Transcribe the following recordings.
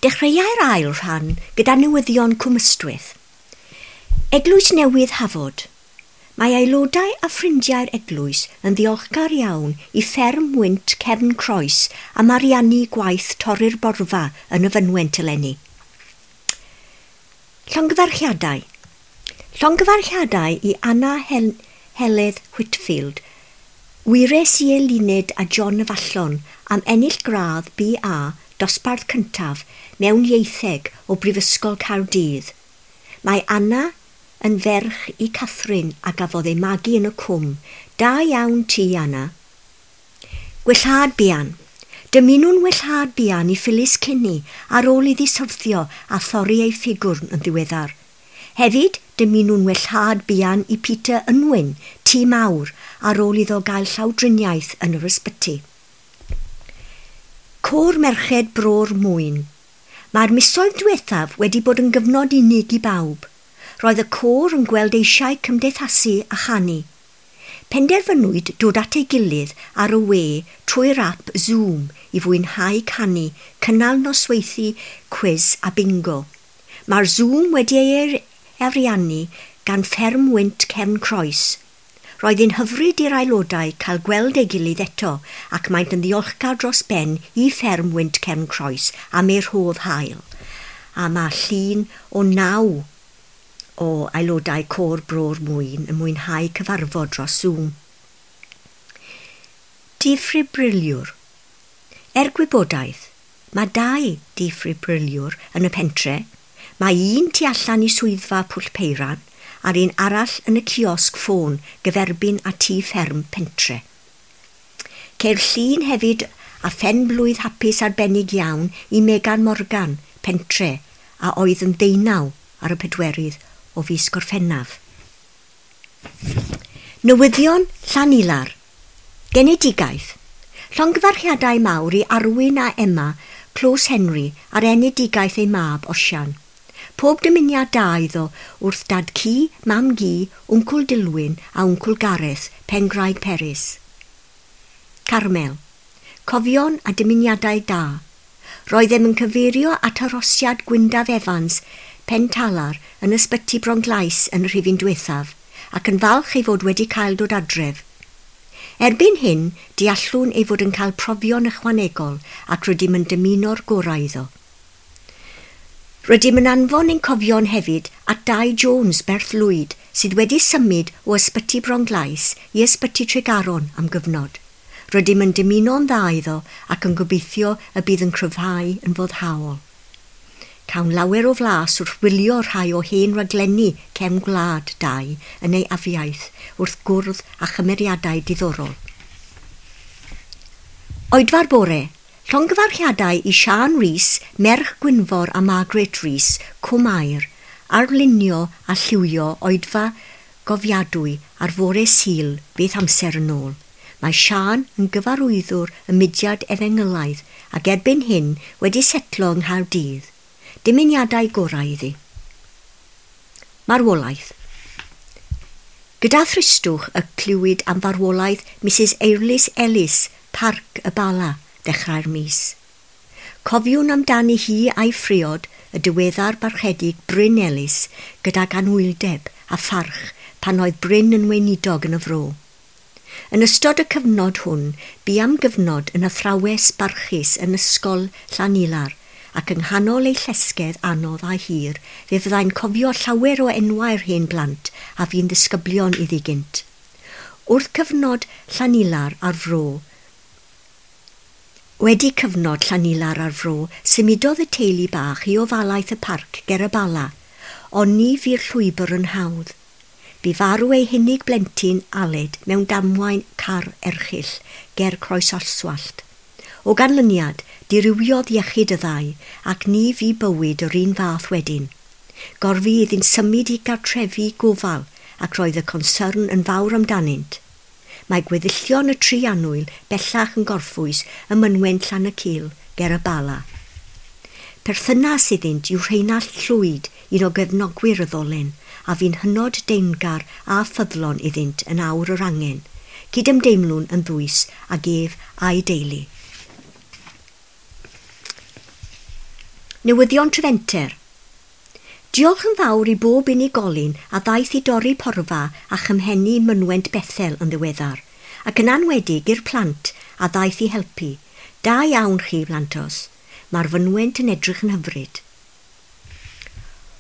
Dechreuai'r ail rhan gyda newyddion Cwm Ystwyth. Eglwys Newydd Hafod. Mae aelodau a ffrindiau'r eglwys yn ddiolchgar iawn i fferm wynt Cefn Croes am ariannu gwaith torri'r borfa yn y fynwent eleni. Llongyfarchiadau. Llongyfarchiadau i Anna Hel Heledd Whitfield, wyres i Eluned a John Afallon am ennill gradd BA dosbarth cyntaf mewn ieitheg o Brifysgol Caerdydd. Mae Anna yn ferch i Catherine a gafodd ei magu yn y cwm. Da iawn ti, Anna. Gwellhad buan. Dymunwn wellhad buan i Phyllis Kinney ar ôl iddi syrthio a thorri ei ffigwrn yn ddiweddar. Hefyd, dymunwn wellhad buan i Peter Unwin, Tŷ Mawr, ar ôl iddo gael llawdriniaeth yn yr ysbyty. Côr Merched Bro'r Mwyn. Mae'r misoedd diwethaf wedi bod yn gyfnod unig i bawb. Roedd y côr yn gweld eisiau cymdeithasu a chanu. Penderfynwyd dod at ei gilydd ar y we trwy'r ap Zoom i fwynhau canu, cynnal nosweithi, cwis a bingo. Mae'r Zoom wedi ei ariannu gan fferm wynt Cefn Croes. Roedd hi'n hyfryd i'r aelodau cael gweld ei gilydd eto ac maent yn ddiolchgar dros ben i fferm wynt Cefn Croes am ei rhodd hael. A mae llun o 9 o aelodau côr Bro'r Mwyn yn mwynhau cyfarfod dros Zoom. Diffibriliwr. Er gwybodaeth, mae 2 diffibriliwr yn y pentre. Mae un tu allan i swyddfa Pwll Peiran a'r un arall yn y ciosg ffôn gyferbyn a tŷ fferm pentre. Ceir llun hefyd a phen-blwydd hapus arbennig iawn i Megan Morgan, pentre, a oedd yn 19 ar y 4 o fis Gorffennaf. Newyddion Llanilar. Genedigaeth. Llongyfarchiadau mawr i Arwyn a Emma, Close Henry, ar enedigaeth ei mab, Osian. Pob dymuniad da iddo wrth dad ci, mam gi, Wncwl Dilwyn a Wncwl Gareth, Pengraig Peris. Carmel. Cofion a dymuniadau da. Roeddem yn cyfeirio at arhosiad Gwyndaf Evans, Pentalar, yn ysbyty Bronglais yn y rhifyn diwethaf, ac yn falch ei fod wedi cael dod adref. Erbyn hyn, deallwn ei fod yn cael profion ychwanegol ac rydym yn dymuno'r gorau iddo. Rydym yn anfon ein cofion hefyd at Dai Jones, Berth Lwyd, sydd wedi symud o ysbyty Bronglais i ysbyty Tregaron am gyfnod. Rydym yn dymuno'n dda iddo ac yn gobeithio y bydd yn cryfhau yn foddhaol. Cawn lawer o flas wrth wylio rhai o hen raglenni cefn gwlad Dai yn ei afiaith wrth gwrdd â chymeriadau diddorol. Oedfa'r bore. Llongyfarchiadau i Siân Rees, merch Gwynfor a Margaret Rees, Cwm Aur, arlunio a lliwio oedfa gofiadwy ar fore Sul beth amser yn ôl. Mae Siân yn gyfarwyddwr y mudiad efengylaidd ac erbyn hyn wedi setlo yng Nghaerdydd. Dymuniadau gorau iddi. Marwolaeth. Gyda thristwch y clywyd am farwolaeth Mrs Eirlys Ellis, Parc y Bala, ddechrau'r mis. Cofiwn amdani hi a'i phriod, y diweddar barchedig Bryn Ellis, gydag anwyldeb a pharch pan oedd Bryn yn weinidog yn y fro. Yn ystod y cyfnod hwn, bu am gyfnod yn athrawes barchus yn ysgol Llanilar, ac yng nghanol ei llesgedd anodd a hir, fe fyddai'n cofio llawer o enwau'r hen blant a fu'n ddisgyblion iddi gynt. Wrth cyfnod Llanilar ar fro, Wedi cyfnod Llanilar ar fro, symudodd y teulu bach i ofalaeth y parc ger y Bala, ond ni fu'r llwybr yn hawdd. Bu farw ei hunig blentyn Aled mewn damwain car erchyll ger Croes Oswallt. O ganlyniad, dirywiodd iechyd y ddau, ac ni fu bywyd yr un fath wedyn. Gorfu iddynt symud i gartrefi gofal, ac roedd y concern yn fawr amdanynt. Mae gweddillion y tri annwyl bellach yn gorffwys ym mynwent Llanacil ger y Bala. Perthynas iddynt yw Rheinallt Llwyd, un o gefnogwyr y ddolen, a fu'n hynod deyrngar a ffyddlon iddynt yn awr yr angen, cydymdeimlwn yn ddwys ag ef a'i deulu. Newyddion Trefenter. Diolch yn fawr i bob unigolyn a ddaeth i dorri porfa a chymhennu mynwent Bethel yn ddiweddar, ac yn anwedig i'r plant a ddaeth i helpu. Da iawn chi, blantos. Mae'r fynwent yn edrych yn hyfryd.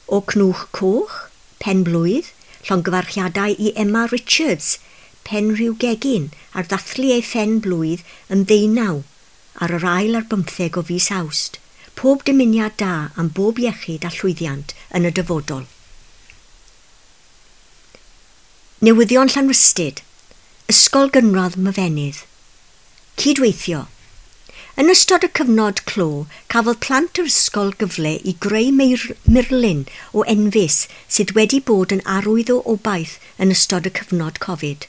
O Cnwch Coch, Pen Blwydd, llongyfarchiadau i Emma Richards, pen rhyw gegin, ar ddathlu ei phen blwydd yn 19 ar yr 24 o fis Awst. Pob dymuniad da am bob iechyd a llwyddiant yn y dyfodol. Newyddion Llanrhystud. Ysgol Gynradd Myfenydd. Cydweithio. Yn ystod y cyfnod clo, cafodd plant yr ysgol gyfle i greu murlun o enfys sydd wedi bod yn arwydd o obaith yn ystod y cyfnod Covid.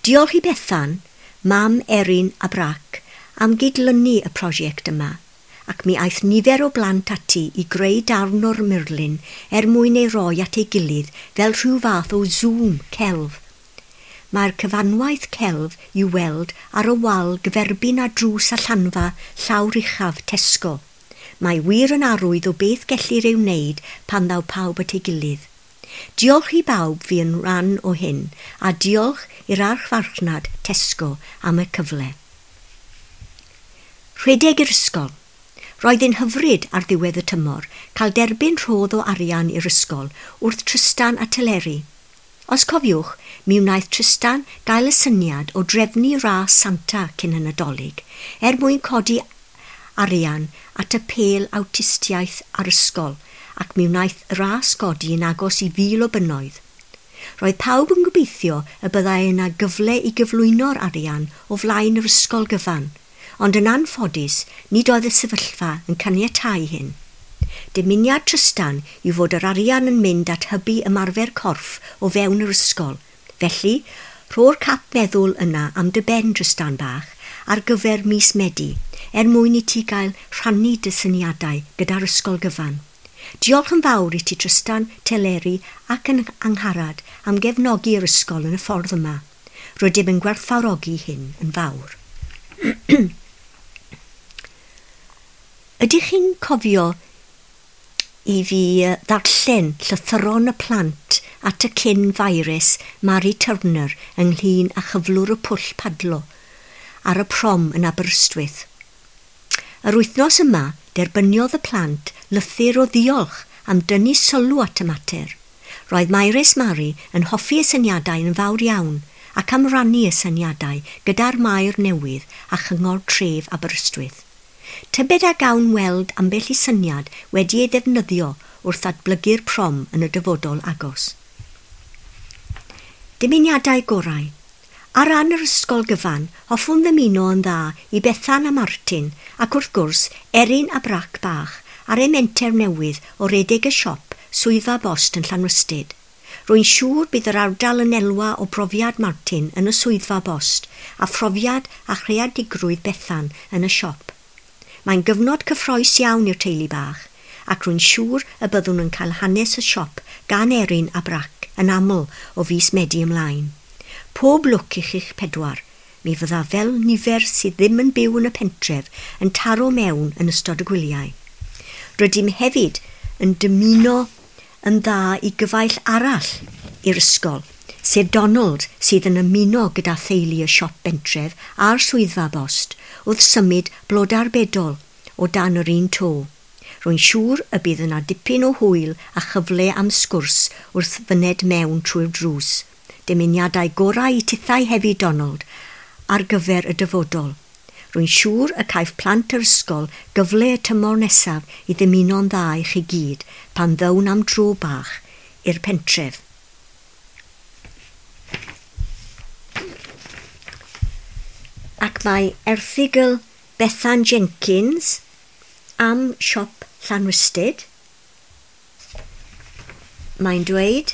Diolch i Bethan, mam Erin a Brac, am gydlynu y prosiect yma, ac mi aeth nifer o blant ati i greu darn o'r murlun er mwyn ei roi at ei gilydd fel rhyw fath o Zoom celf. Mae'r cyfanwaith celf i'w weld ar y wal gyferbyn â drws allanfa llawr uchaf Tesco. Mae wir yn arwydd o beth gellir ei wneud pan ddaw pawb at ei gilydd. Diolch i bawb fu yn rhan o hyn, a diolch i'r archfarchnad Tesco am y cyfle. Rhedeg i'r ysgol. Roedd yn hyfryd ar ddiwedd y tymor cael derbyn rhodd o arian i'r ysgol wrth Tristan a Teleri. Os cofiwch, mi wnaeth Tristan gael y syniad o drefnu ras Santa cyn y Nadolig er mwyn codi arian at apêl awtistiaeth ar ysgol, ac mi wnaeth y ras godi yn agos i 1,000 o bunnoedd. Roedd pawb yn gobeithio y byddai yna gyfle i gyflwyno'r arian o flaen yr ysgol gyfan, ond yn anffodus nid oedd y sefyllfa yn caniatáu hyn. Dymuniad Tristan yw fod yr arian yn mynd at hybu ymarfer corff o fewn yr ysgol. Felly, rho'r cap meddwl yna am dy ben, Tristan bach, ar gyfer mis Medi, er mwyn i ti gael rhannu dy syniadau gyda'r ysgol gyfan. Diolch yn fawr i ti Tristan, Teleri ac yn Angharad am gefnogi'r ysgol yn y ffordd yma. Rydym yn gwerthfawrogi hyn yn fawr. Ydych chi'n cofio i fi ddarllen llythyron y plant at y cyn virus Mary Turner ynglyn â chyflwr y pwll padlo ar y prom yn Aberystwyth? Yr wythnos yma, derbyniodd y plant lythyr o ddiolch am dynnu sylw at y mater. Roedd Maires Mary yn hoffi y syniadau yn fawr iawn ac am rannu y syniadau gyda'r maer newydd a chyngor tref Aberystwyth. Tybed a gawn weld ambell i syniad wedi ei ddefnyddio wrth ddatblygu'r prom yn y dyfodol agos. Dymuniadau gorau. Ar ran yr ysgol gyfan, hoffwn ddymuno yn dda i Bethan a Martin ac wrth gwrs Erin a Brac bach ar eu menter newydd o redeg y siop swyddfa bost yn Llanrhystud. Rwy'n siŵr bydd yr ardal yn elwa o brofiad Martin yn y swyddfa bost a phrofiad a chreadigrwydd Bethan yn y siop. Mae'n gyfnod cyffrous iawn i'r teulu bach, ac rwy'n siŵr y byddwn yn cael hanes y siop gan Erin a Brac yn aml o fis Medi ymlaen. Pob lwc i chi'ch pedwar. Mi fydda fel nifer sydd ddim yn byw yn y pentref yn taro mewn yn ystod y gwyliau. Rydym hefyd yn dymuno yn dda i gyfaill arall i'r ysgol, sef Donald sydd yn ymuno gyda theulu y siop bentref a'r swyddfa bost wrth symud blodau'r bedol o dan yr un to. Rwy'n siŵr y bydd yna dipyn o hwyl a chyfle am sgwrs wrth fyned mewn trwy'r drws. Dymuniadau gorau i tithau hefyd, Donald, ar gyfer y dyfodol. Rwy'n siŵr y caiff plant yr ysgol gyfle y tymor nesaf i ddymuno'n dda i chi gyd pan ddown am dro bach i'r pentref. Ac mae erthygl Bethan Jenkins am siop Llanrhystud. Mae'n dweud,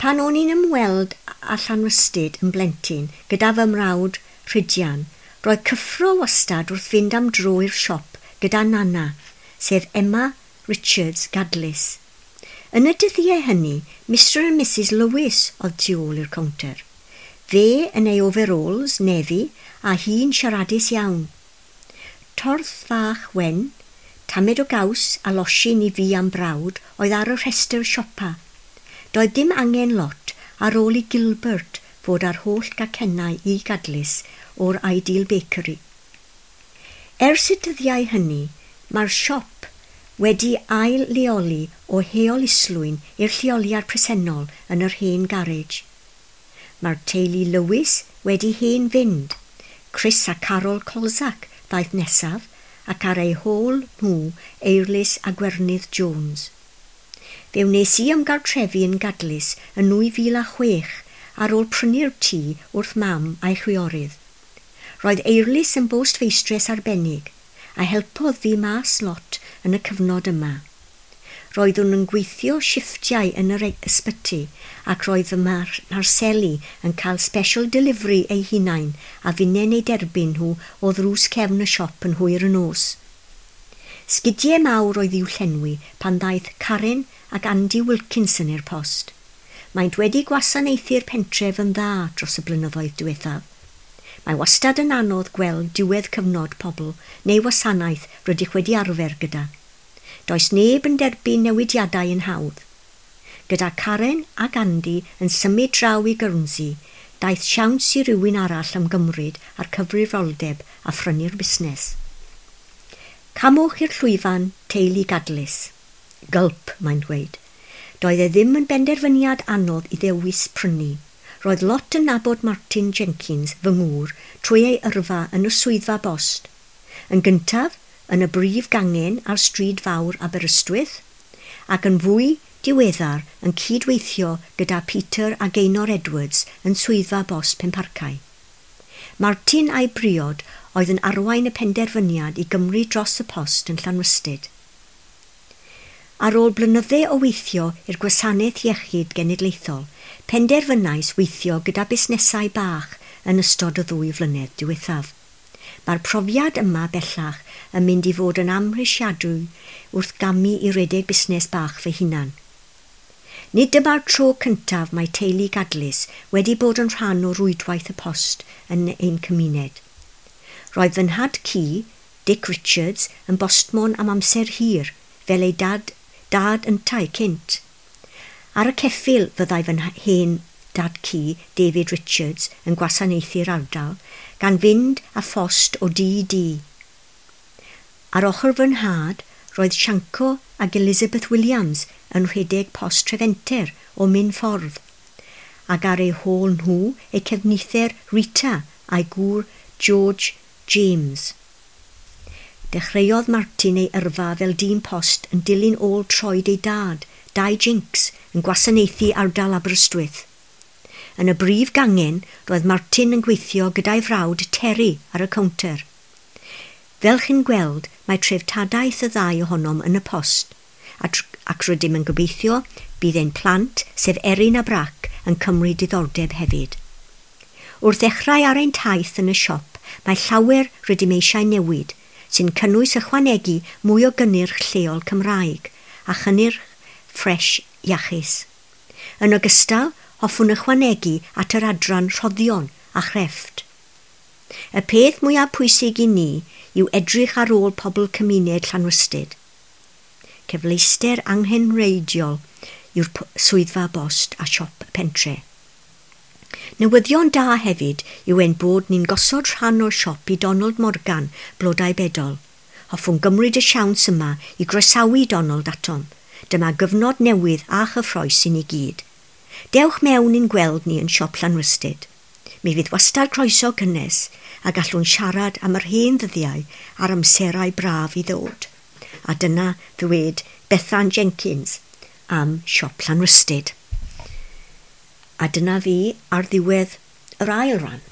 pan o'n i'n ymweld â Llanrhystud yn blentyn gyda fy mrawd Rhydian, roedd cyffro wastad wrth fynd am dro i'r siop gyda Nana, sef Emma Richards Gadlys. Yn y dyddiau hynny, Mr and Mrs Lewis oedd tu ôl i'r cownter. Fe yn ei overalls, nefi, a hi'n siaradus iawn. Torth fach wen, Tamed o gaws a losin i fi am brawd oedd ar y rhestr siopa. Doedd dim angen lot ar ôl i Gilbert fod ar holl gacennau i Gadlys o'r Ideal Bakery. Ers y dyddiau hynny, mae'r siop wedi ail leoli o Heol Islwyn i'r lleoliad presennol yn yr hen garej. Mae'r teulu Lewis wedi hen fynd. Chris a Carol Colzac ddaeth nesaf ac ar eu hôl nhw Eirlys a Gwernydd Jones. Fe wnes i ymgartrefu yn Gadlys yn 2006 ar ôl prynu'r tŷ wrth mam a'i chwiorydd. Roedd Eirlys yn bostfeistres arbennig a helpodd fi mas lot yn y cyfnod yma. Roeddwn yn gweithio shifftiau yn yr ysbyty ac roedd fy mharseli yn cael special delivery eu hunain a finnau'n eu derbyn nhw o ddrws cefn y siop yn hwyr y nos. Sgidiau mawr oedd i'w llenwi pan ddaeth Karen ac Andy Wilkinson i'r post. Maent wedi gwasanaethu'r pentref yn dda dros y blynyddoedd diwethaf. Mae wastad yn anodd gweld diwedd cyfnod pobl neu wasanaeth rydych wedi arfer gyda. Does neb yn derbyn newidiadau yn hawdd. Gyda Karen ac Andy yn symud draw i Guernsey, daeth siawns i rywun arall ymgymryd â'r cyfrifoldeb a phrynu'r busnes. Camwch i'r llwyfan teulu Gadlys. Gulp, mae'n dweud. Doedd e ddim yn benderfyniad anodd i ddewis prynu. Roedd lot yn nabod Martin Jenkins, fy ngŵr, trwy ei yrfa yn y swyddfa bost. Yn gyntaf, yn y brif gangen ar stryd fawr Aberystwyth, ac yn fwy diweddar yn cydweithio gyda Peter a Gaynor Edwards yn swyddfa bost Penparcau. Martin a'i briod oedd yn arwain y penderfyniad i gymryd dros y post yn Llanrhystud. Ar ôl blynydde o weithio i'r gwasanaeth iechyd genedlaethol, penderfynais weithio gyda busnesau bach yn ystod y 2 flynedd diwethaf. Mae'r profiad yma bellach yn mynd i fod yn amhrisiadwy wrth gamu i redeg busnes bach fy hunan. Nid dyma'r tro cyntaf mae teulu Gadlys wedi bod yn rhan o rwydwaith y post yn ein cymuned. Roedd fy nhad ci, Dick Richards, yn bostmon am amser hir, fel ei dad yntau cynt. Ar y ceffyl fyddai fy hen dad ci, David Richards, yn gwasanaethu'r ardal, gan fynd a phost o dŷ i dŷ. Ar ochr fy nhad, roedd Sianco ac Elizabeth Williams yn rhedeg post Trefenter o Minffordd, ac ar eu hôl nhw eu cefnither Rita a'i gŵr George James. Dechreuodd Martin ei yrfa fel dyn post yn dilyn ôl troed ei dad, Dai Jinks, yn gwasanaethu ardal Aberystwyth. Yn y brif gangen, roedd Martin yn gweithio gyda'i frawd Terry ar y cownter. Fel chi'n gweld, mae treftadaeth y ddau ohonom yn y post, ac rydym yn gobeithio bydd ein plant, sef Erin a Brac, yn cymryd diddordeb hefyd. Wrth ddechrau ar ein taith yn y siop, mae llawer rydym eisiau newid, sy'n cynnwys ychwanegu mwy o gynnyrch lleol Cymraeg a chynnyrch ffres iachus. Yn ogystal, hoffwn ychwanegu at yr adran rhoddion a chrefft. Y peth mwyaf pwysig i ni yw edrych ar ôl pobl cymuned Llanrhystud. Cyfleuster anghenreidiol yw'r swyddfa bost a siop y pentre. Newyddion da hefyd yw ein bod ni'n gosod rhan o'r siop i Donald Morgan, Blodau Bedol. Hoffwn gymryd y siawns yma i groesawu Donald atom. Dyma gyfnod newydd a chyffrous i ni gyd. Dewch mewn i'n gweld ni yn siop Llanrhystud. Mi fydd wastad croeso cynnes a gallwn siarad am yr hen ddyddiau a'r amserau braf i ddod. A dyna ddweud Bethan Jenkins am siop Llanrhystud. A dyna fi ar ddiwedd yr ail ran.